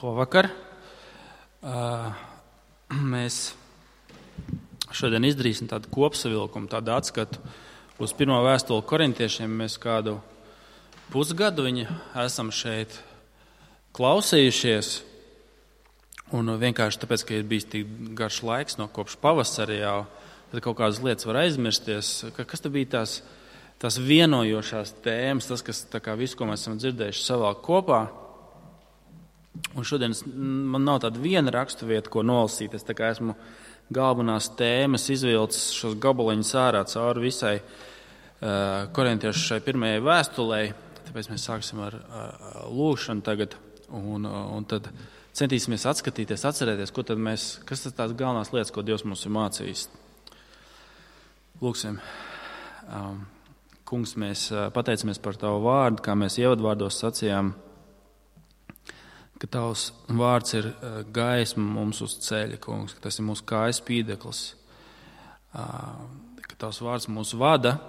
Labvakar! Mēs šodien izdarīsim tādu kopsavilkumu, tādu atskatu uz pirmo vēstuli korintiešiem. Mēs kādu pusgadu viņu esam šeit klausījušies. Un vienkārši tāpēc, ka ir bijis tik garš laiks no kopš pavasara jau, tad kaut kādas lietas var aizmirsties. Kas tad bija tās vienojošās tēmas, tas, kas tā kā visu, ko mēs esam dzirdējuši, savalk kopā. Un šodien man nav tāda viena raksturvieta, ko nolasīt. Es tā kā esmu galvenās tēmas izvilcis šos gabaliņus ārā cauri visai korintiešu šai pirmajai vēstulei. Tāpēc mēs sāksim ar lūgšanu tagad un tad centīsimies atskatīties, atcerēties, kas ir tās galvenās lietas, ko Dievs mums ir mācījis. Lūgsim. Kungs, mēs pateicamies par Tavu vārdu, kā mēs ievadvārdos sacījām, ka Tavs vārds ir gaisma mums uz ceļa, Kungs, ka tas ir mūsu kājas spīdeklis, ka Tavs vārds mūs vada,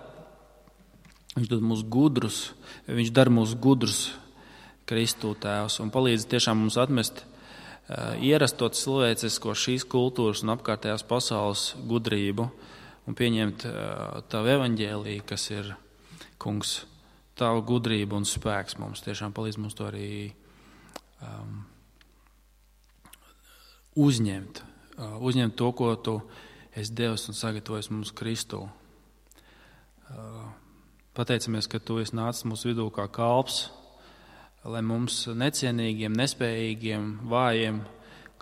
Viņš dod mūs gudrus, Viņš dara mūs gudrus Kristū Tēvs un palīdz tiešām mums atmest ierasto cilvēcisko šīs kultūras un apkārtējās pasaules gudrību un pieņemt Tavu evaņģēliju, kas ir, Kungs, Tava gudrība un spēks mums. Tiešām palīdz mums to arī uzņemt to, ko Tu esi devis un sagatavojis mums Kristū. Pateicamies, ka Tu esi nācis mūsu vidū kā kalps, lai mums necienīgiem, nespējīgiem, vājiem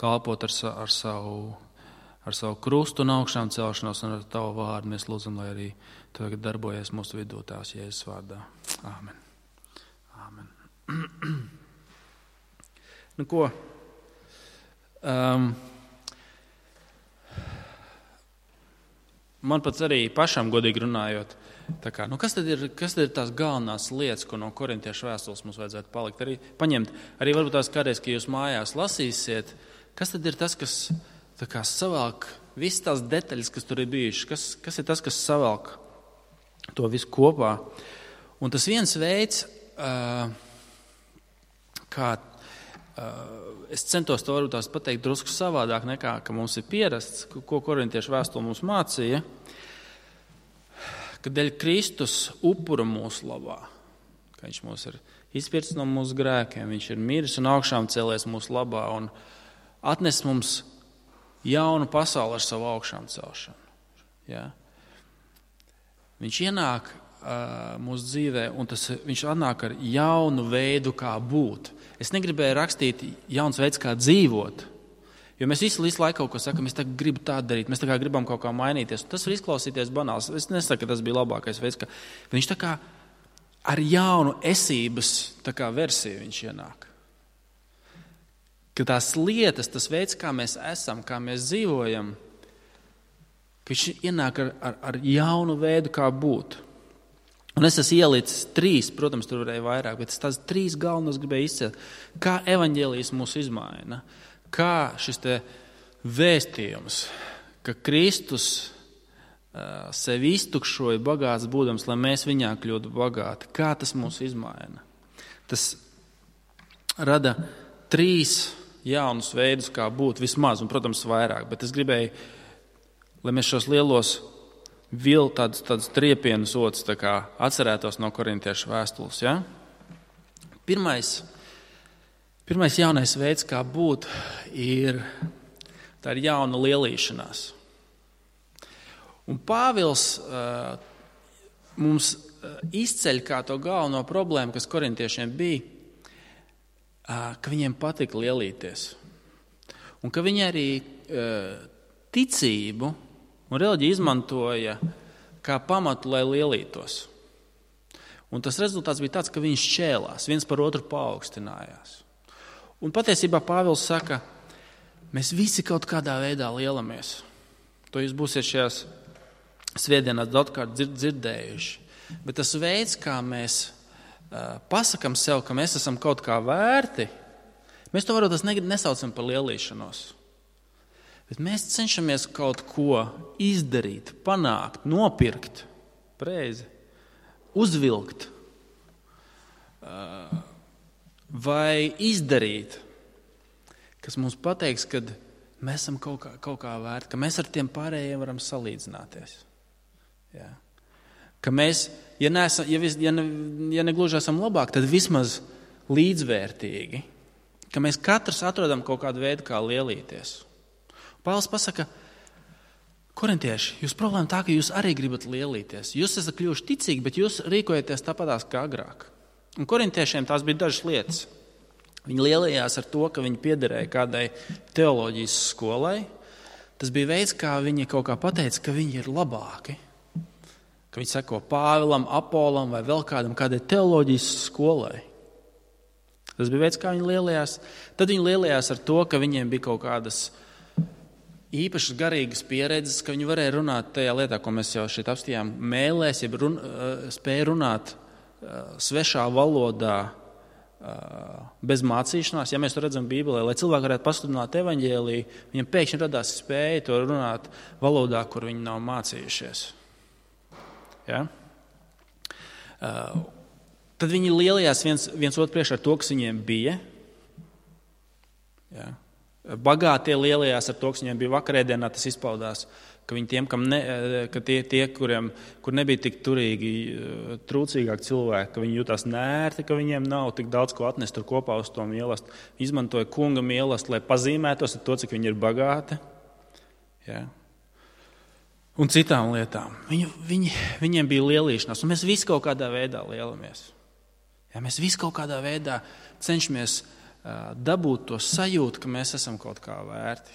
kalpot ar savu krustu un augšām celšanos un ar Tavu vārdu. Mēs lūdzam, lai arī Tu tagad darbojies mūsu vidū Tās Jēzus vārdā. Āmen. Āmen. Nu ko? Man pats arī pašam godīgi runājot, kas tad ir tās galvenās lietas, ko no korintiešu vēstules mums vajadzētu palikt? Paņemt, varbūt tās kādreiz, ka jūs mājās lasīsiet, kas tad ir tas, kas savelk visas tās detaļas, kas tur ir bijušas, kas ir tas, kas savelk to visu kopā. Un tas viens veids, kā es centos to varbūt tās pateikt drusku savādāk nekā, ka mums ir pierasts, ko korintiešu vēstule mums mācīja, ka dēļ Kristus upura mūsu labā, ka Viņš mūs ir izpircis no mūsu grēkiem, Viņš ir miris un augšām cēlies mūsu labā un atnes mums jaunu pasauli ar savu augšām celšanu. Ja? Viņš ienāk mūsu dzīvē, un Viņš atnāk ar jaunu veidu, kā būt. Es negribēju rakstīt jauns veids, kā dzīvot, jo mēs visu laiku kaut ko sakam, es tagad gribu tā darīt, mēs tā kā gribam kaut kā mainīties. Tas var izklausīties banāls. Es nesaku, ka tas bija labākais veids, ka Viņš tā kā ar jaunu esības tā kā versiju Viņš ienāk. Ka tās lietas, tas veids, kā mēs esam, kā mēs dzīvojam, ka Viņš ienāk ar jaunu veidu, kā būt. Un es esmu ielicis 3, protams, tur varēja vairāk, bet tās 3 galvenos gribēju izcelt. Kā evaņģēlijs mūs izmaina, kā šis te vēstījums, ka Kristus sevi iztukšoja bagāts būdams, lai mēs viņā kļūtu bagāti. Kā tas mūs izmaina? Tas rada 3 jaunus veidus, kā būt vismaz, un, protams, vairāk, bet es gribēju, lai mēs šos lielos tādus triepienus otrs atcerētos no korintiešu vēstules. Ja? Pirmais jaunais veids, kā būt, tā ir jauna lielīšanās. Un Pāvils mums izceļ kā to galveno problēmu, kas korintiešiem bija, ka viņiem patika lielīties. Un ka viņi arī ticību un reliģija izmantoja kā pamatu, lai lielītos. Un tas rezultāts bija tāds, ka viņi šķēlās, viens par otru paaugstinājās. Un patiesībā Pāvils saka, mēs visi kaut kādā veidā lielamies. To jūs būsiet šajās svētdienās daudzkārt dzirdējuši. Bet tas veids, kā mēs pasakam sev, ka mēs esam kaut kā vērti, mēs to varbūt nesaucam par lielīšanos. Bet mēs cenšamies kaut ko izdarīt, panākt, nopirkt, preizi, uzvilkt vai izdarīt, kas mums pateiks, ka mēs esam kaut kā vērti, ka mēs ar tiem pārējiem varam salīdzināties. Ja? Ka mēs, ja negluži esam labāk, tad vismaz līdzvērtīgi. Ka mēs katrs atrodam kaut kādu veidu, kā lielīties. Pāvils pasaka, korintieši, jūs problēma tā, ka jūs arī gribat lielīties. Jūs esat kļuvuši ticīgi, bet jūs rīkojaties tāpatās kā agrāk. Un korintiešiem tās bija dažas lietas. Viņi lielījās ar to, ka viņi piederēja kādai teoloģijas skolai. Tas bija veids, kā viņi kaut kā pateica, ka viņi ir labāki. Ka viņi seko Pāvilam, Apolam vai vēl kādai teoloģijas skolai. Tas bija veids, kā viņi lielījās. Tad viņi lielījās ar to, ka viņiem bija kaut kādas īpašas garīgas pieredzes, ka viņi varēja runāt tajā lietā, ko mēs jau šeit apstījām, mēlēs, jeb spēja runāt svešā valodā, bez mācīšanās. Ja mēs to redzam Bībelē, lai cilvēki varētu pasludināt evaņģēliju, viņam pēkšņi radās spēja to runāt valodā, kur viņi nav mācījušies. Ja? Tad viņi lielījās viens otru priekšā ar to, kas viņiem bija. Ja? Bagātie lielījās ar to, kas viņiem bija vakarēdienā, tas izpaudās, ka viņi tiem, kur nebija tik turīgi, trūcīgāki cilvēki, ka viņi jutās nērti, ka viņiem nav tik daudz ko atnest tur kopā uz to mīlestību. Izmantoja kunga mīlestību, lai pazīmētos ar to, cik viņi ir bagāti. Ja? Un citām lietām. Viņiem bija lielīšanās, un mēs visi kaut kādā veidā lielamies. Ja? Mēs visi kaut kādā veidā cenšamies dabūt to sajūtu, ka mēs esam kaut kā vērti.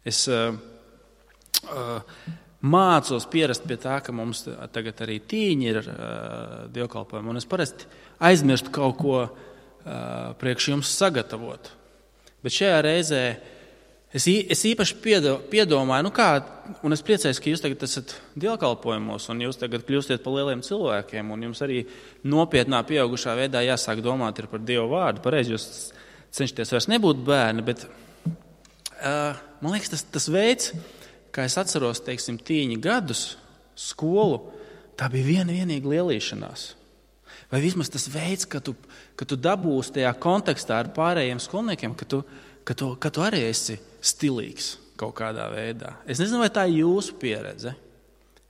Es mācos pierast pie tā, ka mums tagad arī tīņi ir dievkalpojumi, un es parasti aizmirstu kaut ko priekš jums sagatavot. Bet šajā reizē es īpaši piedomāju, un es priecājos, ka jūs tagad esat dievkalpojumos, un jūs tagad kļūstiet par lieliem cilvēkiem, un jums arī nopietnā pieaugušā veidā jāsāk domāt ir par Dievu vārdu. Pareizi jūs cenšaties vairs nebūt bērni, bet man liekas, tas veids, kā es atceros, teiksim, tīņa gadus skolu, tā bija vienīga lielīšanās. Vai vismaz tas veids, ka tu dabūsi tajā kontekstā ar pārējiem skolniekiem, ka tu arī esi stilīgs kaut kādā veidā. Es nezinu, vai tā ir jūsu pieredze.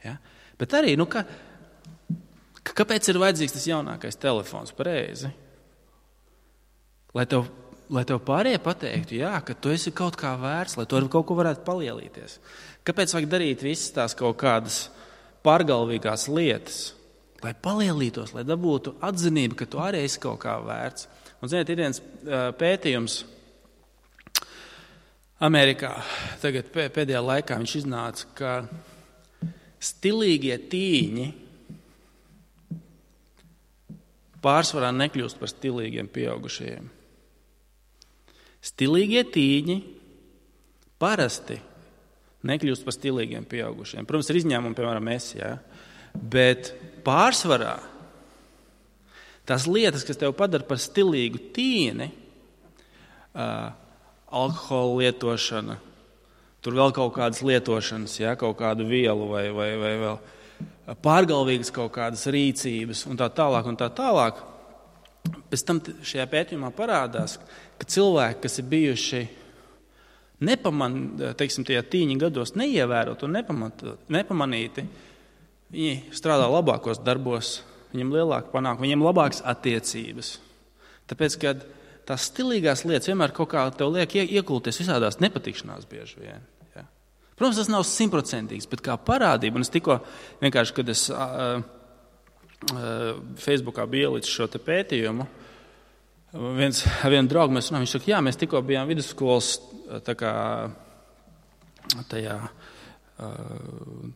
Ja? Bet arī, kāpēc ir vajadzīgs tas jaunākais telefons? Pareizi. Lai tev pārējie pateiktu, jā, ka tu esi kaut kā vērts, lai tu ar kaut ko varētu palielīties. Kāpēc vajag darīt visas tās kaut kādas pārgalvīgās lietas, lai palielītos, lai dabūtu atzinību, ka tu arī esi kaut kā vērts? Un, ziniet, ir viens pētījums Amerikā, tagad pēdējā laikā viņš iznāca, ka stilīgie tīņi pārsvarā nekļūst par stilīgiem pieaugušajiem. Stilīgie tīņi parasti nekļūst par stilīgiem pieaugušiem. Protams, ir izņēmumi, piemēram, es, ja? Bet pārsvarā tās lietas, kas tev padara par stilīgu tīni, alkohola lietošana, tur vēl kaut kādas lietošanas, ja? Kaut kādu vielu vai vēl pārgalvīgas kaut kādas rīcības un tā tālāk. Pēc tam šajā pētījumā parādās, ka cilvēki, kas ir bijuši tajā tīņa gados neievērot un nepamanīti, viņi strādā labākos darbos, viņiem lielāka panākuma, viņiem labākas attiecības. Tāpēc, ka tās stilīgās lietas vienmēr kaut kā tev liek iekulties visādās nepatikšanās bieži vien. Ja? Protams, tas nav 100%, bet kā parādība, un es tikko vienkārši, kad es Facebookā bija ielicis šo te pētījumu, ar vienu draugu mēs runājam, viņš saka, jā, mēs tikko bijām vidusskolas tajā,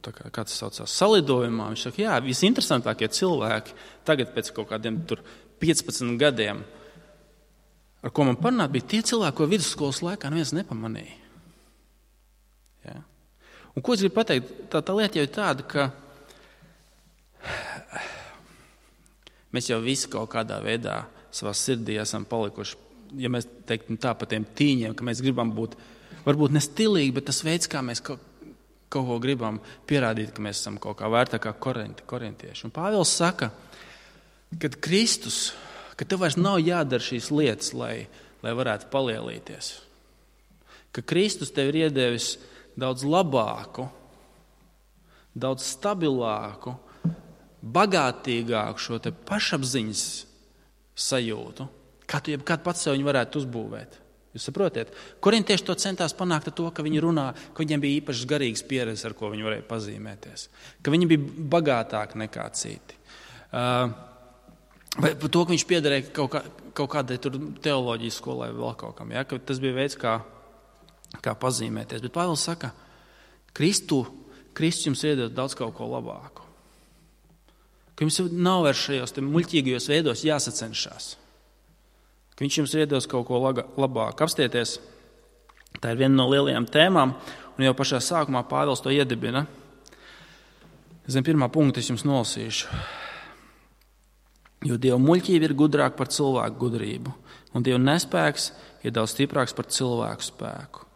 kā tas saucās, salidojumā. Viņš saka, jā, visinteresantākie cilvēki tagad pēc kaut kādiem 15 gadiem, ar ko man parunāt, bija tie cilvēki, ko vidusskolas laikā neviens nepamanīja. Ja? Un ko es gribu pateikt? Tā lieta jau ir tāda, ka mēs jau visi kaut kādā veidā savā sirdī esam palikuši, ja mēs teiktu tā par tiem tīņiem, ka mēs gribam būt, varbūt ne stilīgi, bet tas veids, kā mēs kaut ko gribam pierādīt, ka mēs esam kaut kā vērtākā korintieši. Un Pāvils saka, kad Kristus, ka tev vairs nav jādara šīs lietas, lai lai varētu palielīties. Ka Kristus tev ir iedevis daudz labāku, daudz stabilāku, bagātīgāku šo te pašapziņas sajūtu, kā tu jebkad pats sev viņu varētu uzbūvēt. Jūs saprotiet? Korintieši to centās panākt ar to, ka viņi runā, ka viņiem bija īpašas garīgas pieredzes, ar ko viņi varēja pazīmēties. Ka viņi bija bagātāki nekā citi. Vai par to, ka viņš piederēja kaut kādai tur teoloģijas skolai vai vēl kaut kam. Ja? Ka tas bija veids, kā pazīmēties. Bet Pāvils saka, Kristus jums iedod daudz kaut ko labāku. Ka jums nav vairs šajos muļķīgajos veidos jāsacenšās. Ka viņš jums iedos kaut ko labāku. Apstieties, tā ir viena no lielajām tēmām, un jau pašā sākumā Pāvils to iedibina. Zem pirmā punkta es jums nolasīšu. Jo Dieva muļķība ir gudrāka par cilvēku gudrību, un Dieva nespēks ir daudz stiprāks par cilvēku spēku.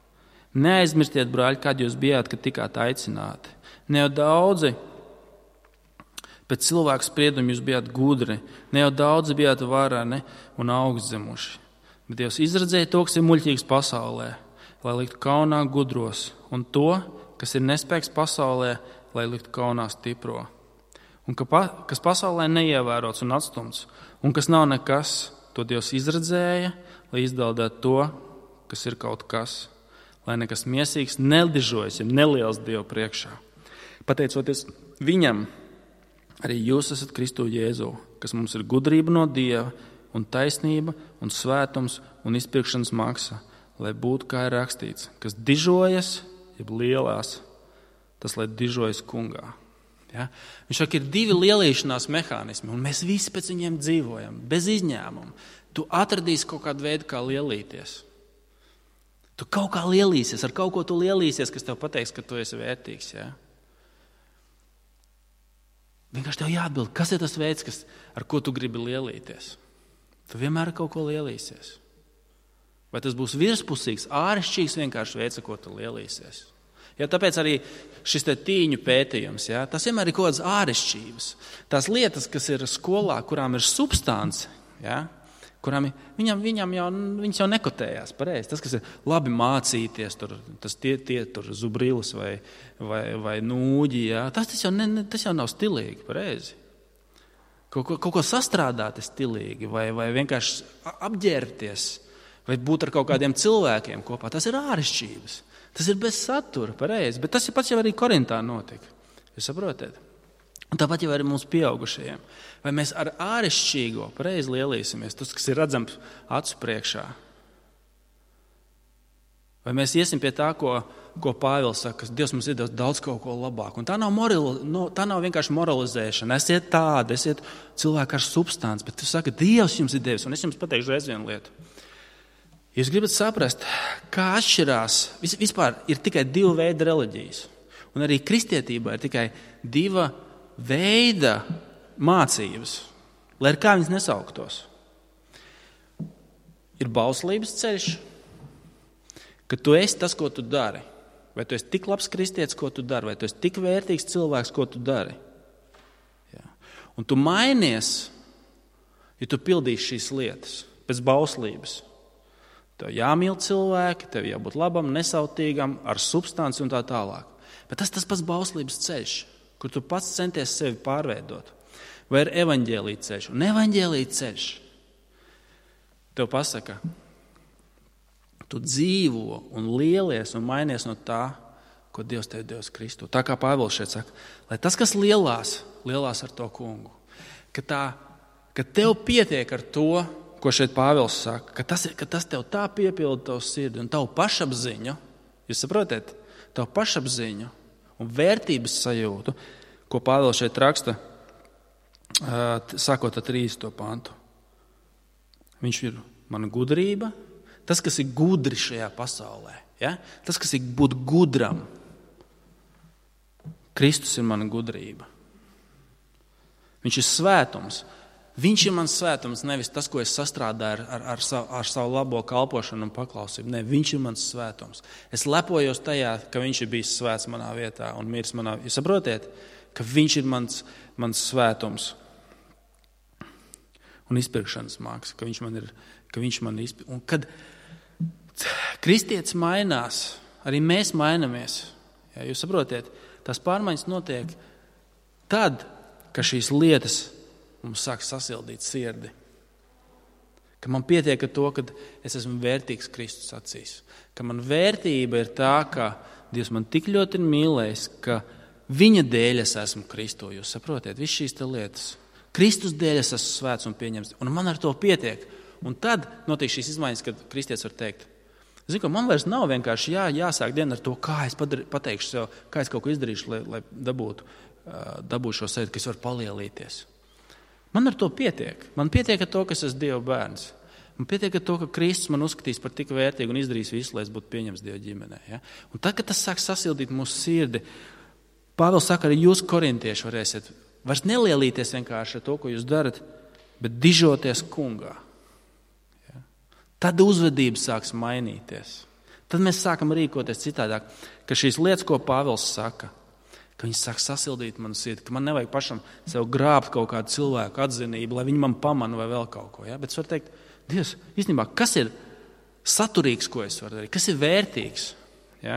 Neaizmirstiet, brāļi, kad jūs bijāt, kad tikāt aicināti. Ne jau daudzi pēc cilvēku spriedumu jūs bijāt gudri, ne jau daudzi bijāt varani un augstzemuši. Bet Dievs izradzēja to, kas ir muļķīgs pasaulē, lai liktu kaunā gudros, un to, kas ir nespēks pasaulē, lai liktu kaunā stipro. Un kas pasaulē neievērots un atstumts, un kas nav nekas, to Dievs izradzēja, lai izdaldētu to, kas ir kaut kas, lai nekas miesīgs nedižojas, ja neliels Dievu priekšā. Pateicoties viņam, arī jūs esat Kristu Jēzu, kas mums ir gudrība no Dieva un taisnība un svētums un izpirkšanas maksa, lai būtu, kā ir rakstīts, kas dižojas, jeb lielās, tas, lai dižojas kungā. Ja? Viņš saka, ir divi lielīšanās mehānismi, un mēs visi pēc viņiem dzīvojam, bez izņēmuma. Tu atradīsi kaut kādu veidu, kā lielīties. Tu kaut kā lielīsies, ar kaut ko tu lielīsies, kas tev pateiks, ka tu esi vērtīgs. Ja? Vienkārši tev jāatbild, kas ir tas veids, ar ko tu gribi lielīties. Tu vienmēr ar kaut ko lielīsies. Vai tas būs virspusīgs, āršķirīgs vienkārši veids, ar ko tu lielīsies. Ja, tāpēc arī šis tīņu pētījums, ja, tas vienmēr ir kaut kādas āršķirības. Tās lietas, kas ir skolā, kurām ir substance, ja, kurām viņas jau nekotējās pareizi. Tas, kas ir labi mācīties, tur zubrilis vai nūģi, ja, tas jau nav stilīgi pareizi. Kaut ko sastrādāt ir stilīgi, vai vienkārši apģērbties, vai būt ar kaut kādiem cilvēkiem kopā. Tas ir āršķirības. Tas ir bez satura, pareizi. Bet tas pats jau arī Korintā notika. Jūs saprotat? Un tāpat jau arī mums pieaugušajiem. Vai mēs ar āršķirīgo pareizi lielīsimies, tas, kas ir redzams acu priekšā? Vai mēs iesim pie tā, ko Pāvils saka, ka Dievs mums ir daudz kaut ko labāku. Un tā nav vienkārši moralizēšana. Esiet tādi, esiet cilvēki ar substanci, bet tu saka, Dievs jums ir devis. Un es jums pateikšu reiz vienu lietu. Jūs gribat saprast, kā atšķirās, vispār ir tikai divu veidu reliģijas. Un arī kristietībā ir tikai diva veida mācības, lai ar kā viņas nesauktos. Ir bauslības ceļš, ka tu esi tas, ko tu dari. Vai tu esi tik labs kristietis, ko tu dari, vai tu esi tik vērtīgs cilvēks, ko tu dari. Jā. Un tu mainies, ja tu pildīsi šīs lietas pēc bauslības. Tev jāmīl cilvēki, tev jābūt labam, nesautīgam, ar substanci un tā tālāk. Bet tas pats bauslības ceļš, kur tu pats centies sevi pārveidot. Vai ir evaņģēlija ceļš? Un evaņģēlija ceļš tev pasaka, tu dzīvo un lielies un mainies no tā, ko Dievs tev devis Kristu. Tā kā Pāvils šeit saka, lai tas, kas lielās ar to kungu. Ka tev pietiek ar to, ko šeit Pāvils saka, ka tas tev tā piepilda tavu sirdi un tavu pašapziņu, jūs saprotat, tavu pašapziņu un vērtības sajūtu, ko Pāvils šeit raksta, sākot ar 30. pantu. Viņš ir mana gudrība, tas, kas ir gudri šajā pasaulē, ja? Tas, kas ir būt gudram. Kristus ir mana gudrība. Viņš ir svētums. Viņš ir mans svētums, nevis tas, ko es sastrādāju ar savu labo kalpošanu un paklausību. Ne, viņš ir mans svētums. Es lepojos tajā, ka viņš ir bijis svēts manā vietā un miris manā vietā. Jūs saprotiet, ka viņš ir mans svētums un izpirkšanas māksla, ka viņš man ir, ka viņš man un kad kristietis mainās, arī mēs mainamies. Ja, jūs saprotiet, tās pārmaiņas notiek tad, ka šīs lietas mums sāk sasildīt sirdi. Ka man pietiek ar to, ka es esmu vērtīgs Kristus acīs. Ka man vērtība ir tā, ka Dievs man tik ļoti ir mīlējis, ka viņa dēļ es esmu Kristu. Jūs saprotiet, viss šīs te lietas. Kristus dēļ es esmu svēts un pieņemts. Un man ar to pietiek. Un tad notiek šīs izmaiņas, kad kristietis var teikt, zinu, man vairs nav vienkārši jāsāk diena ar to, kā es pateikšu sev, kā es kaut ko izdarīšu, lai dabūtu šo sajūtu, ka es varu palielīties. Man ar to pietiek. Man pietiek ar to, ka es esmu Dieva bērns. Man pietiek ar to, ka Kristus man uzskatīs par tik vērtīgu un izdarīs visu, lai es būtu pieņemts Dieva ģimenē. Ja? Un tad, kad tas sāk sasildīt mūsu sirdi, Pāvils saka, arī jūs, korintieši, varēsiet vairs nelielīties vienkārši ar to, ko jūs darat, bet dižoties kungā. Ja? Tad uzvedība sāks mainīties. Tad mēs sākam rīkoties citādāk, ka šīs lietas, ko Pāvils saka, ka viņi sāk sasildīt manu sirdi, ka man nevajag pašam sev grābt kaut kādu cilvēku atzinību, lai viņi man pamana vai vēl kaut ko. Ja? Bet es varu teikt, Dievs, īstenībā, kas ir saturīgs, ko es varu darīt? Kas ir vērtīgs? Ja?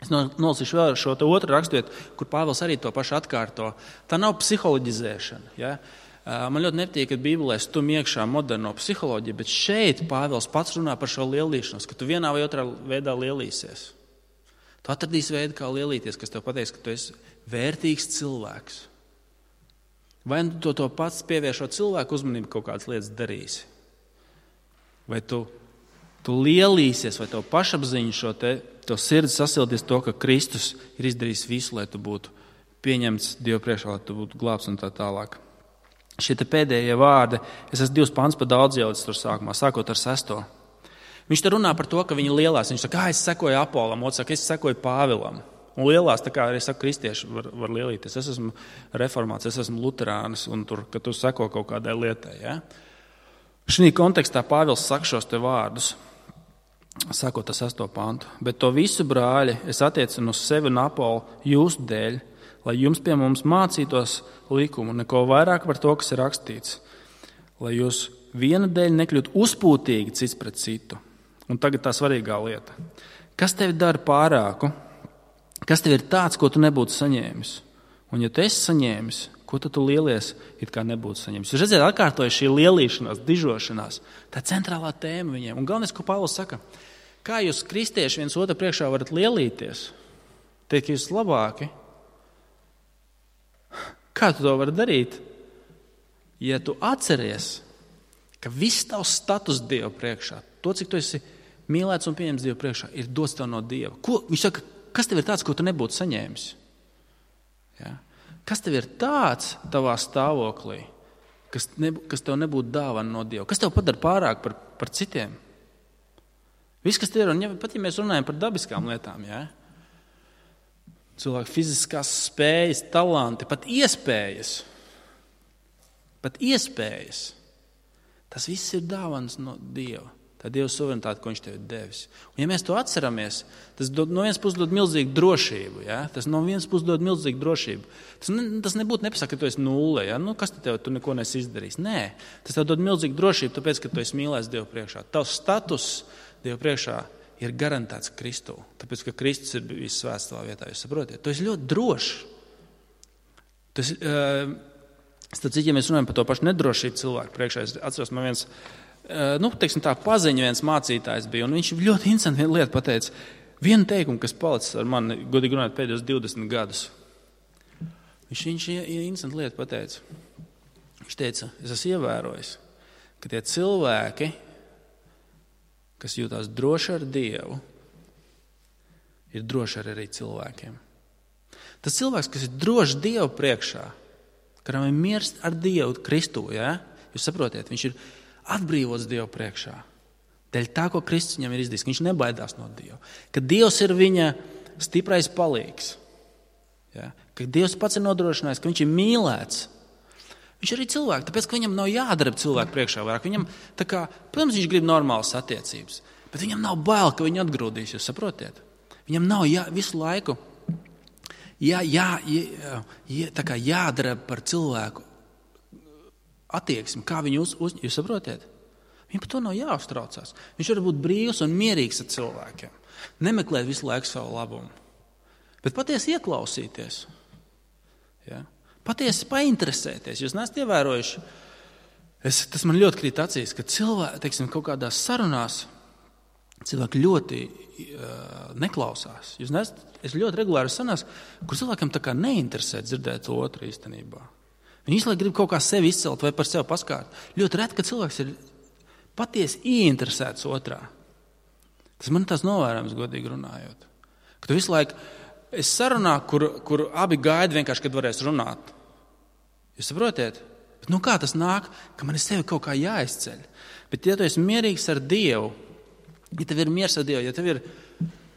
Es nolasīšu vēl šo otru raksturvietu, kur Pāvils arī to pašu atkārto. Tā nav psiholoģizēšana. Ja? Man ļoti nepatīk, ka Bībelē stum iekšā moderno psiholoģiju, bet šeit Pāvils pats runā par šo lielīšanos, ka tu vienā vai otrā veidā lielīsies. Tu atradīsi veidu, kā lielīties, kas tev pateiks, ka tu esi vērtīgs cilvēks. Vai tu to pats pievēršot cilvēku uzmanību kaut kādas lietas darīsi? Vai tu lielīsies, vai tev pašapziņu to sirdi sasildīs to, ka Kristus ir izdarījis visu, lai tu būtu pieņemts Dieva priekšā, lai tu būtu glābts un tā tālāk. Šie te pēdējie vārdi, es esmu 2 pants pa daudz jaudas tur sākumā, sākot ar 6. Viņš te runā par to, ka viņi lielās. Viņš saka, es sekoju Apolam, otrs saka, es sekoju Pāvilam. Un lielās, tā kā arī saka, kristieši var lielīties. Es esmu reformāts, es esmu luterānis, un tur, ka tu seko kaut kādai lietai. Ja? Šī kontekstā Pāvils saka šos te vārdus, sakot ar 6. pantu. Bet to visu, brāļi, es attiecinu uz sevi un Apolu jūsu dēļ, lai jums pie mums mācītos likumu, neko vairāk par to, kas ir rakstīts, lai jūs viena dēļ nekļūt uzpūtīgi cits pret citu. Un tagad tā svarīgā lieta. Kas tevi dara pārāku? Kas tev ir tāds, ko tu nebūtu saņēmis? Un ja tu esi saņēmis, ko tu lielies, it kā nebūtu saņēmis? Jūs redzēt, atkārtoja šī lielīšanās, dižošanās. Tā centrālā tēma viņiem. Un galvenais, ko Pāvils saka, kā jūs kristieši viens otru priekšā varat lielīties, teikt, ka jūs labāki? Kā tu to vari darīt? Ja tu atceries, ka viss tavs status Dieva priekšā, to, cik tu esi mīlēts un pieņemts Dieva priekšā, ir dots tev no Dieva. Viņš saka, kas tev ir tāds, ko tu nebūtu saņēmis? Ja? Kas tev ir tāds tavā stāvoklī, kas tev nebūtu dāvana no Dieva? Kas tev padara pārāk par citiem? Viss, kas tev ir, un pat ja mēs runājam par dabiskām lietām, ja? Cilvēku fiziskās spējas, talanti, pat iespējas, tas viss ir dāvanas no Dieva. Tā Dieva suverenitāte, ko viņš tev ir devis. Un ja mēs to atceramies, tas no vienas puses dod milzīgu drošību. Ja? Tas no vienas puses dod milzīgu drošību. Tas nebūtu nepasaka, ka tu esi nulle. Ja? Kas tu neko nesi izdarījis? Nē, tas tev dod milzīgu drošību, tāpēc, ka tu esi mīlēts Dieva priekšā. Tavs status Dieva priekšā ir garantēts Kristū. Tāpēc, ka Kristus ir bijis svēts tavā vietā. Jūs saprotiet? Tu esi ļoti drošs. Ja mēs runājam par to pašu nedrošību cilvēku priekšā, es atceros, man viens paziņa viens mācītājs bija, un viņš ļoti interesanti vienu lietu pateica. Vienu teikumu, kas palicis ar mani, godīgi runājot, pēdējos 20 gadus. Viņš interesanti lietu pateica. Viņš teica, es esmu ievērojis, ka tie cilvēki, kas jūtās droši ar Dievu, ir droši arī cilvēkiem. Tas cilvēks, kas ir drošs Dievu priekšā, kuram ir miers ar Dievu Kristu, ja? Jūs saprotiet, viņš ir atbrīvots Dievu priekšā. Dēļ tā, ko Kristus viņam ir izdarījis, ka viņš nebaidās no Dieva. Ka Dievs ir viņa stiprais palīgs. Ja? Ka Dievs pats ir nodrošinājis, ka viņš ir mīlēts. Viņš ir arī cilvēks, tāpēc, ka viņam nav jādara cilvēku priekšā vairāk. Viņam, protams, viņš grib normālas attiecības, bet viņam nav bail, ka viņu atgrūdīs, jūs saprotiet? Viņam nav visu laiku jādara par cilvēku attieksmi, kā viņu jūs saprotiet? Viņam par to nav jāuztraucās. Viņš var būt brīvs un mierīgs ar cilvēkiem. Nemeklēt visu laiku savu labumu. Bet patiesi ieklausīties. Ja? Patiesi painteresēties. Jūs neesat ievērojuši. Tas man ļoti krīt acīs, ka cilvēki, teiksim, kaut kādās sarunās cilvēki ļoti neklausās. Es ļoti regulāri sanās, kur cilvēkam tā kā neinteresē dzirdēt otru īstenībā. Viņi visu laiku grib kaut kā sevi izcelt vai par sevi paskārt. Ļoti reti, ka cilvēks ir patiesi ieinteresēts otrā. Tas man tās novērojams, godīgi runājot. Ka tu visu laiku esi sarunā, kur abi gaida vienkārši, kad varēs runāt. Jūs saprotiet? Bet kā tas nāk, ka man ir sevi kaut kā jāizceļ? Bet ja tu esi mierīgs ar Dievu, ja tev ir miers ar Dievu, ja tev ir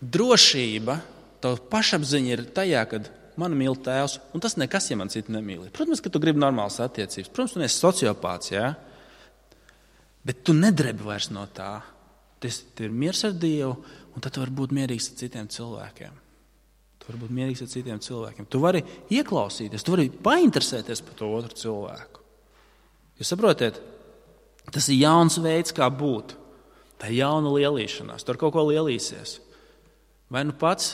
drošība, tava pašapziņa ir tajā, kad man mīl Tēvs, un tas nekas, ja man citu nemīl. Protams, ka tu gribi normālas attiecības. Protams, tu neesi sociopāts, jā? Bet tu nedrebi vairs no tā. Tev ir miers ar Dievu, un tad tu vari būt mierīgs ar citiem cilvēkiem. Tu vari ieklausīties, tu vari painteresēties par to otru cilvēku. Jūs saprotiet? Tas ir jauns veids, kā būt. Tā ir jauna lielīšanās. Tu ar kaut ko lielīsies. Vai nu pats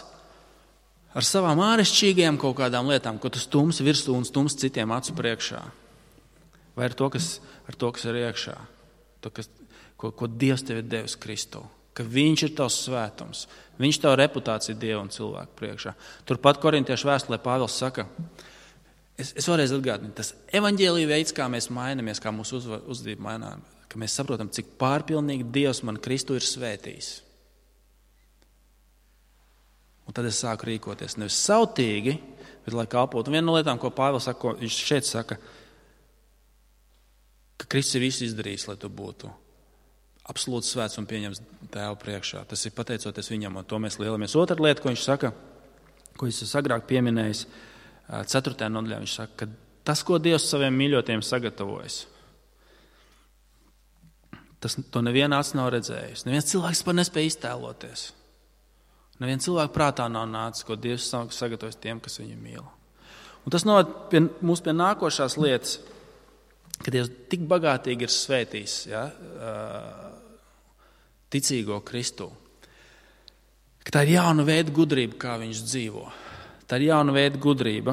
ar savām āršķirīgajām kaut kādām lietām, ko tu stumsi virsū un stumsi citiem acu priekšā. Vai ar to, kas ir iekšā. Ko Dievs tev ir devis Kristu. Ka viņš ir tavs svētums. Viņš tavu reputāciju Dievu un cilvēku priekšā. Turpat Korintiešu vēstulē Pāvils saka, es vēlreiz atgādinu, tas evaņģēlija veids, kā mēs mainamies, kā mūsu uzvedība mainām, ka mēs saprotam, cik pārpilnīgi Dievs man Kristu ir svētījis. Un tad es sāku rīkoties nevis sautīgi, bet lai kalpotu. Un viena no lietām, ko Pāvils saka, viņš šeit saka, ka Kristus ir visu izdarījis, lai tu būtu absolūti svēts un pieņems Tēvu priekšā. Tas ir pateicoties viņam, un to mēs lielamies. Otra lieta, ko viņš saka, ko es agrāk pieminējis, 4. nodaļā, viņš saka, ka tas, ko Dievs saviem mīļotiem sagatavojas, to neviena acs nav redzējis. Neviens cilvēks par nespēja iztēloties. Neviens cilvēks prātā nav nācis, ko Dievs sagatavojas tiem, kas viņu mīl. Un tas noved mūs pie nākošās lietas, ka Dievs tik bagātīgi ir svētījis, ja, ticīgo Kristu, ka tā ir jauna veida gudrība, kā viņš dzīvo. Tā ir jauna veida gudrība.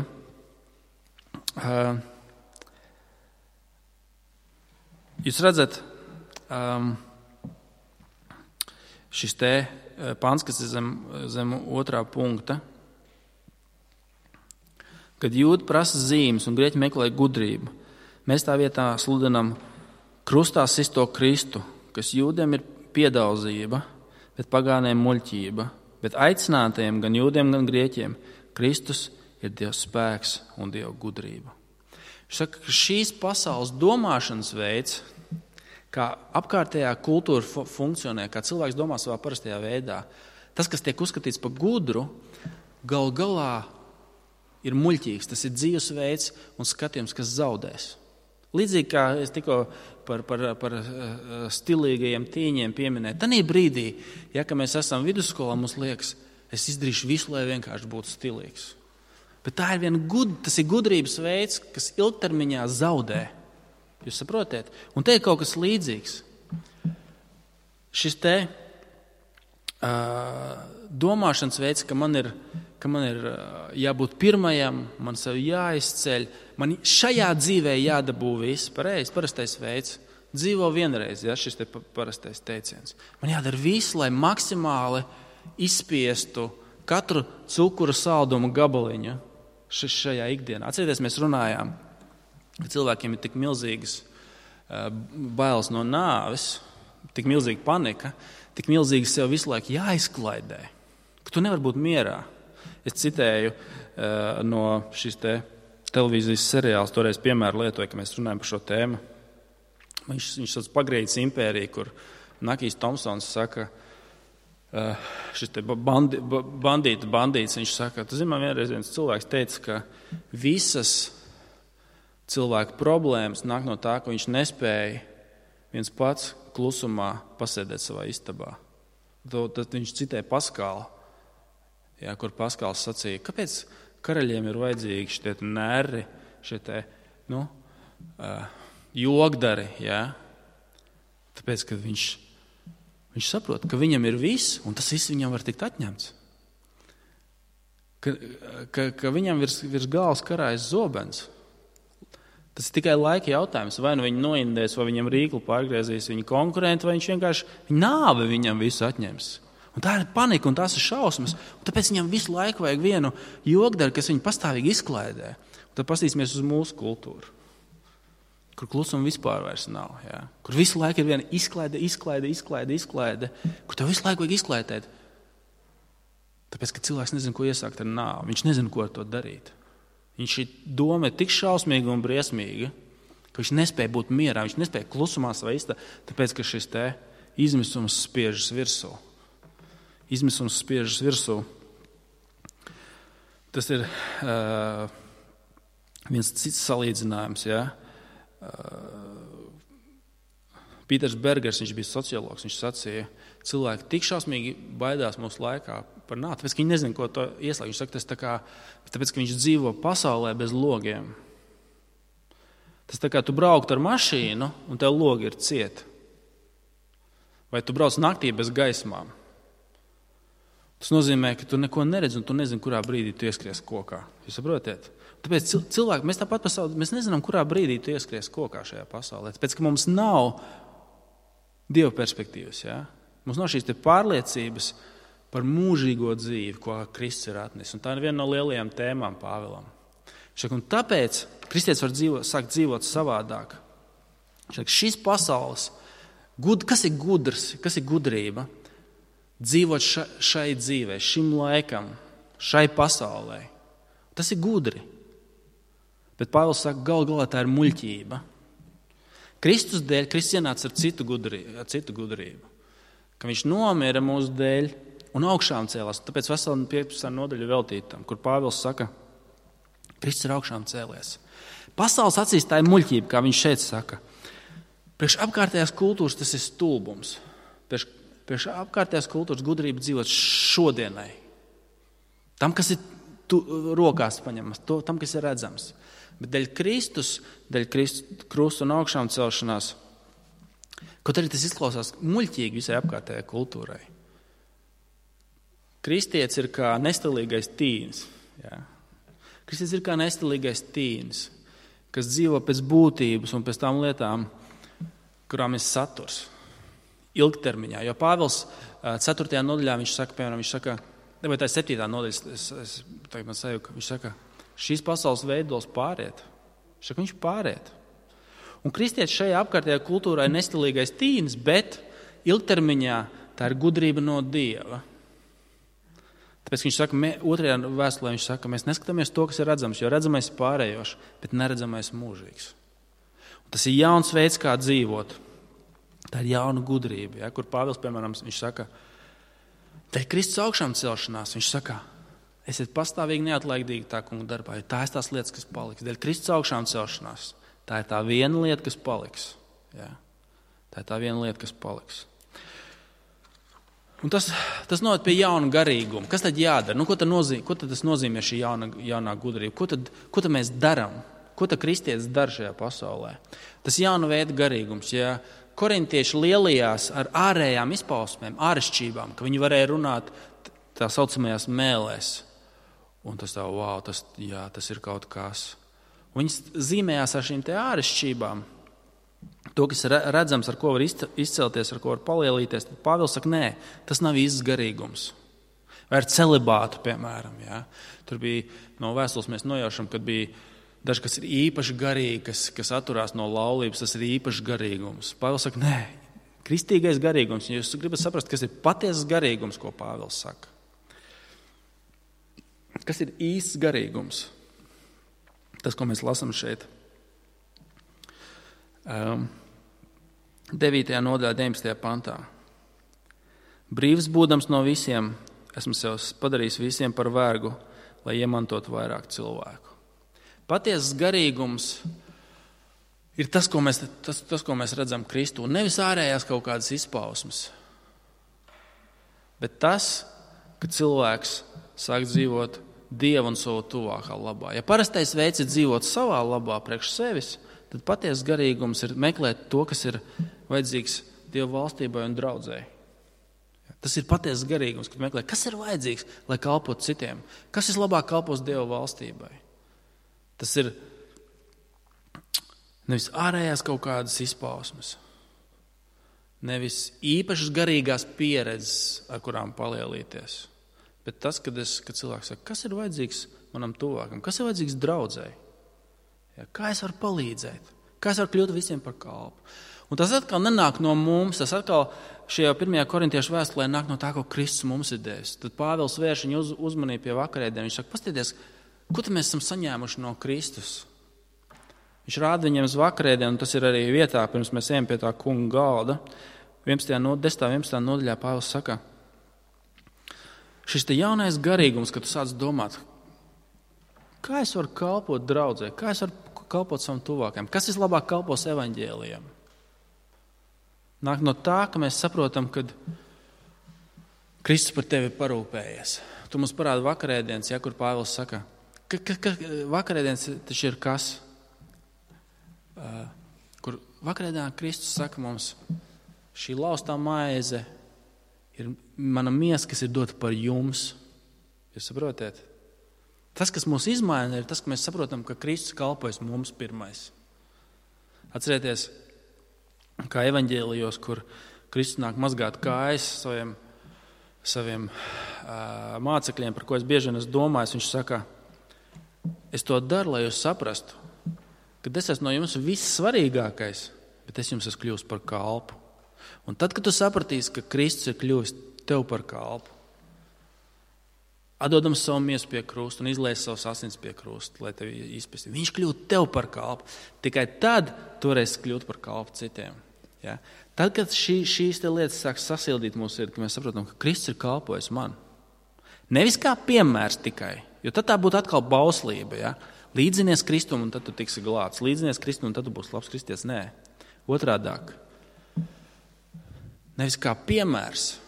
Jūs redzat, šis te pants, kas ir zem 2. punkta, kad jūdi prasa zīmes un grieķi meklē gudrību, mēs tā vietā sludinam krustā sisto Kristu, kas jūdiem ir piedauzība, bet pagāniem muļķība, bet aicinātajiem gan jūdiem, gan grieķiem Kristus ir Dieva spēks un Dieva gudrība. Viņš saka, ka šīs pasaules domāšanas veids, kā apkārtējā kultūra funkcionē, kā cilvēks domā savā parastajā veidā, tas, kas tiek uzskatīts par gudru, gal galā ir muļķīgs. Tas ir dzīvesveids un skatījums, kas zaudēs. Līdzīgi kā es tikko par stilīgajiem tīņiem pieminēju, tanī brīdī, ja ka mēs esam vidusskolā, mums liekas, es izdarīšu visu, lai vienkārši būtu stilīgs. Bet tas ir gudrības veids, kas ilgtermiņā zaudē. Jūs saprotiet? Un te ir kaut kas līdzīgs. Šis te domāšanas veids, ka man ir jābūt pirmajam, man sevi jāizceļ, man šajā dzīvē jādabū viss, parastais veids. Dzīvo vienreiz, ja, šis te parastais teiciens. Man jādara viss, lai maksimāli izspiestu katru cukura saldumu gabaliņu šajā ikdienā. Atcerieties, mēs runājām, ka cilvēkiem ir tik milzīgas bailes no nāves, tik milzīga panika, tik milzīgi sev visu laiku jāizklaidē, ka tu nevari būt mierā. Es citēju no šīs te televīzijas seriāls, toreiz piemēru lietoju, ka mēs runājam par šo tēmu. Viņš sauc Pagrīdes impēriju, kur Nakijs Tomsons saka, šis te bandīts, viņš saka, tu zini, man vienreiz viens cilvēks teica, ka visas cilvēku problēmas nāk no tā, ka viņš nespēja viens pats klusumā pasēdēt savā istabā. Tad viņš citē Paskālu, jā, kur Paskāls sacīja, kāpēc karaļiem ir vajadzīgi šie nerri, šie jogdari, jā? Tāpēc, ka viņš saprot, ka viņam ir viss, un tas viss viņam var tikt atņemts. Ka viņam virs galvas karājas zobens. Tas ir tikai laika jautājums. Vai nu viņi noindēs, vai viņam rīklu pārgriezīs viņa konkurenti, vai viņš vienkārši nāve viņam visu atņems. Un tā ir panika, un tās ir šausmas. Un tāpēc viņam visu laiku vajag vienu jogdaru, kas viņu pastāvīgi izklaidē. Un tad pastīsimies uz mūsu kultūru, kur klusuma vispār vairs nav. Ja? Kur visu laiku ir viena izklaide, kur tev visu laiku vajag izklaidēt. Tāpēc, ka cilvēks nezina, ko iesākt ar nāvi. Viņš nezina, ko ar to darīt. Šī doma ir tik šausmīga un briesmīga, ka viņš nespēja būt mierā, viņš nespēja klusumā savā istā, tāpēc, ka šis te izmisums spiežas virsū. Izmisums spiežas virsū. Tas ir viens cits salīdzinājums. Ja? Pīters Bergers, viņš bija sociologs, viņš sacīja, cilvēki tik šausmīgi baidās mūsu laikā par nāvi, tāpēc, ka viņi nezina, ko to ieslēgt. Viņš saka, tas tā kā, tāpēc, ka viņš dzīvo pasaulē bez logiem. Tas tā kā tu brauktu ar mašīnu, un tev logi ir cieti. Vai tu brauc naktī bez gaismām. Tas nozīmē, ka tu neko neredzi, un tu nezini, kurā brīdī tu ieskries kokā. Jūs saprotiet? Tāpēc cilvēki, mēs tāpat pasaulē, mēs nezinām, kurā brīdī tu ieskries kokā šajā pasaulē. Tāpēc, ka mums nav Dieva perspektīvas. Ja? Mums nav šīs te pārliecības par mūžīgo dzīvi, ko Kristus ir atnesis. Un tā ir viena no lielajām tēmām Pāvilam. Un tāpēc kristietis var sākt dzīvot savādāk. Šis pasaules, kas ir gudrs, kas ir gudrība? Dzīvot šai dzīvē, šim laikam, šai pasaulē. Tas ir gudri. Bet Pāvils saka, gal galā tā ir muļķība. Kristus dēļ, Kristus ienāca ar citu gudrību. Ka viņš nomira mūsu dēļ un augšām cēlās. Tāpēc vesela 15. nodaļa veltītam, kur Pāvils saka, Kristus ir augšām cēlies. Pasaules acīs tā ir muļķība, kā viņš šeit saka. Priekš apkārtējās kultūras tas ir stulbums. Priekš apkārtējās kultūras gudrība dzīvot šodienai. Tam, kas ir rokās paņemams, tam, kas ir redzams. Bet dēļ Kristus krusta un augšām celšanās, kaut arī tas izklausās muļķīgi visai apkārtējai kultūrai. Kristietis ir kā nestilīgais tīns. Ja? Kristietis ir kā nestilīgais tīns, kas dzīvo pēc būtības un pēc tām lietām, kurām ir saturs. Ilgtermiņā. Jo Pāvils 4. nodaļā viņš saka, vai tā ir 7. nodaļa, viņš saka, šīs pasaules veidos pāriet. Viņš pāriet. Un kristietis šajā apkārtējā kultūrā ir nestilīgais tīns, bet ilgtermiņā tā ir gudrība no Dieva. Tāpēc viņš saka, 2. vēstulē viņš saka, mēs neskatāmies to, kas ir redzams, jo redzamais ir pārējošs, bet neredzamais mūžīgs. Un tas ir jauns veids, kā dzīvot. Tā ir jauna gudrība, ja, kur Pāvils, piemēram, viņš saka, dēļ Kristus augšām celšanās, viņš saka, esiet pastāvīgi neatlaidīgi tā kunga darbā, jo tā ir tās lietas, kas paliks. Dēļ Kristus augšām celšanās, tā ir tā viena lieta, kas paliks. Ja. Tā ir tā viena lieta, kas paliks. Un tas noved pie jauna garīguma. Kas tad jādara? Ko tad tas nozīmē šī jaunā gudrība? Ko tad mēs darām? Ko tad kristietis dara šajā pasaulē? Tas jauna veida garīgums. Ja korintieši lielījās ar ārējām izpausmēm, āršķībām, ka viņi varēja runāt tā saucamajās mēlēs. Un tas tā, wow, tas ir kaut kas. Viņas zīmējās ar šīm te āršķībām. To, kas ir redzams, ar ko var izcelties, ar ko var palielīties, tad Pāvils saka, nē, tas nav īsts garīgums. Vai ar celibātu, piemēram. Ja? Tur bija no vēstules mēs nojaušam, kad bija daži, kas ir īpaši garīgi, kas atturās no laulības, tas ir īpaši garīgums. Pāvils saka, nē, kristīgais garīgums. Jūs gribat saprast, kas ir patiesas garīgums, ko Pāvils saka. Kas ir īsts garīgums? Tas, ko mēs lasām šeit. 9. nodaļā, 19. pantā. Brīvs būdams no visiem, esmu sev padarījis visiem par vergu, lai iemantotu vairāk cilvēku. Patiesas garīgums ir tas, ko mēs redzam Kristū. Nevis ārējās kaut kādas izpausmes, bet tas, ka cilvēks sāk dzīvot Dieva un savu tuvākā labā. Ja parastais veids ir dzīvot savā labā priekš sevis, tad patiesas garīgums ir meklēt to, kas ir vajadzīgs Dieva valstībai un draudzēji. Tas ir patiesas garīgums, kad meklē, kas ir vajadzīgs, lai kalpotu citiem. Kas vislabāk kalpos Dieva valstībai. Tas ir nevis ārējās kaut kādas izpausmes, nevis īpašas garīgās pieredzes, ar kurām palielīties, bet tas, kad cilvēks saka, kas ir vajadzīgs manam tuvākam, kas ir vajadzīgs draudzēji, kā es varu palīdzēt, kā es varu kļūt visiem par kalpu. Un tas atkal nenāk no mums, tas atkal šajā 1. korintiešu vēstulē nāk no tā, ko Kristus mums ir devis. Tad Pāvils vērš viņu uzmanību pie vakarēdienām. Viņš saka, paskatieties, ko tad mēs esam saņēmuši no Kristus? Viņš rāda viņiem uz vakarēdienu, un tas ir arī vietā, pirms mēs ejam pie tā kunga galda. 11. nodaļā Pāvils saka, šis te jaunais garīgums, kad tu sāc domāt, kā es varu kalpot draudzē, kā es varu kalpot savam tuvākajam, kas vislabāk kalpos evaņģēlijam? Nāk no tā, ka mēs saprotam, ka Kristus par tevi parūpējies. Tu mums parāda vakarēdienas, kur Pāvils saka, ka vakarēdienas taču ir kas? Kur vakarēdienā Kristus saka mums, šī laustā maize ir mana miesa, kas ir dota par jums. Jūs saprotiet? Tas, kas mūs izmaina, ir tas, ka mēs saprotam, ka Kristus kalpojas mums pirmais. Atcerieties, kā evaņģēlijos, kur Kristus nāk mazgāt kājas saviem mācekļiem, par ko es bieži vien esmu domājis. Viņš saka, es to daru, lai jūs saprastu, ka es esmu no jums vissvarīgākais, bet es jums esmu kļuvis par kalpu. Un tad, kad tu sapratīsi, ka Kristus ir kļuvis tev par kalpu, atdodams savu miesu pie krusta un izlies savus asins pie krusta, lai tevi izpēstītu. Viņš kļūt tev par kalpu. Tikai tad tu varēsi kļūt par kalpu citiem. Ja? Tad, kad šīs lietas sāk sasildīt mūsu sirdi, ka mēs saprotam, ka Kristus ir kalpojis man. Nevis kā piemērs tikai, jo tad tā būtu atkal bauslība. Ja? Līdzinies Kristum un tad tu tiksi glābts. Līdzinies Kristum un tad tu būsi labs kristietis. Nē, otrādāk. Nevis kā piemērs.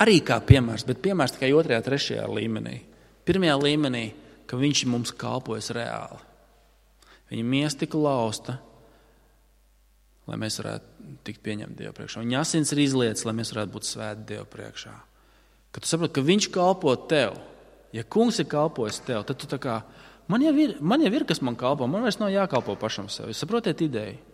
Arī kā piemērs, bet piemērs tikai 2., 3. līmenī. 1. līmenī, ka viņš mums kalpojas reāli. Viņa miesa tika lausta, lai mēs varētu tikt pieņemt Dievu priekšā. Viņa asins ir izlietas, lai mēs varētu būt svēti Dievu priekšā. Kad tu saproti, ka viņš kalpo tev, ja kungs ir kalpojis tev, tad tu tā kā, man jau ir, kas man kalpo, man vairs nav jākalpo pašam sev. Jūs saprotiet ideju?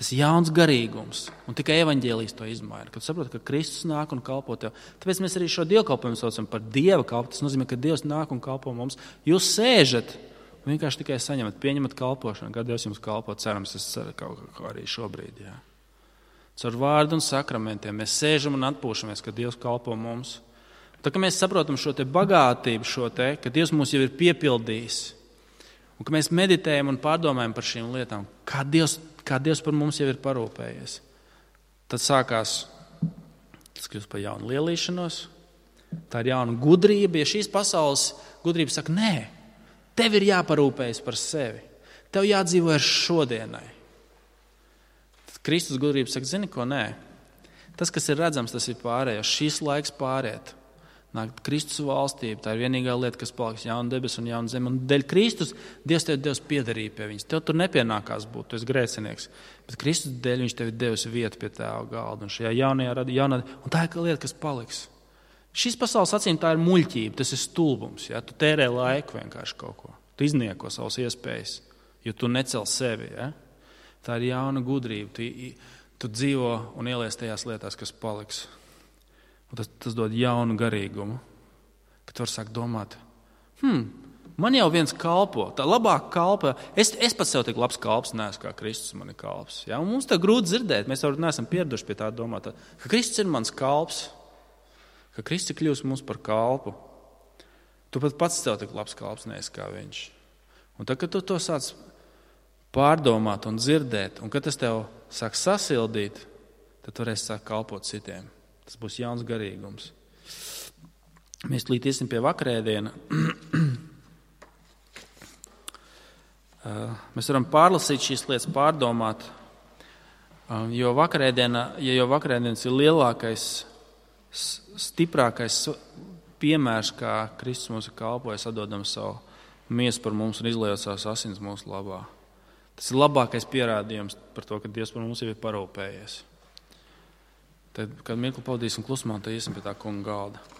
Tas ir jauns garīgums, un tikai evaņģēlijs to izmaina. Kad saproti, ka Kristus nāk un kalpo tev. Tāpēc mēs arī šo dievkalpojumu saucam par Dieva kalpu. Tas nozīmē, ka Dievs nāk un kalpo mums. Jūs sēžat un vienkārši tikai saņemat, pieņemat kalpošanu. Kā Dievs jums kalpo, cerams, es ceru kaut kā arī šobrīd. Jā. Caur vārdu un sakramentiem mēs sēžam un atpūšamies, ka Dievs kalpo mums. Tā kā mēs saprotam šo te bagātību, ka Dievs mūs jau ir piepildījis, un ka mēs meditējam un pārdomājam par šīm lietām, kā Dievs par mums jau ir parūpējies. Tad sākās, tas kļūst par jaunu lielīšanos, tā ir jauna gudrība. Ja šīs pasaules gudrība saka, nē, tev ir jāparūpējas par sevi, tev jādzīvo ar šodienai. Tad Kristus gudrība saka, zini ko, nē, tas, kas ir redzams, tas ir pārējais, šīs laiks pāriet. Nāk Kristus valstība, tā ir vienīgā lieta, kas paliks jauna debesis un jauna zeme. Un dēļ Kristus Dievs tev devis piederību pie viņas. Tev tur nepienākās būt, tu esi grēcinieks. Bet Kristus dēļ viņš tev ir devis vietu pie tēva galda. Un šajā jaunā, un tā ir lieta, kas paliks. Šīs pasaules acīm tā ir muļķība, tas ir stulbums. Ja? Tu tērē laiku vienkārši kaut ko. Tu iznieko savas iespējas, jo tu necel sevi. Ja? Tā ir jauna gudrība. Tu dzīvo un ielies tajās lietās, kas paliks. Un tas dod jaunu garīgumu, kad tu vari sākt domāt, man jau viens kalpo, tā labāk kalpo. Es pats sev tik labs kalps neesmu, kā Kristus man ir kalps. Ja? Un mums tā grūti dzirdēt, mēs jau neesam pieraduši pie tā domāt, ka Kristus ir mans kalps, ka Kristus ir kļūst mums par kalpu. Tu pat pats sev tik labs kalps neesi kā viņš. Un tad, kad tu to sāc pārdomāt un dzirdēt, un kad tas tev sāk sasildīt, tad tu varēsi sākt kalpot citiem. Tas būs jauns garīgums. Mēs līdz iesim pie vakarēdiena. Mēs varam pārlasīt šīs lietas, pārdomāt, jo vakarēdienas ir lielākais, stiprākais piemērs, kā Kristus mums ir kalpojis, atdodam savu miesu par mums un izliejot savas asins mūsu labā. Tas ir labākais pierādījums par to, ka Dievs par mums jau ir parūpējies. Tad, kad mirkli pavadīsim klusumā, tad iesim pie tā kunga galda.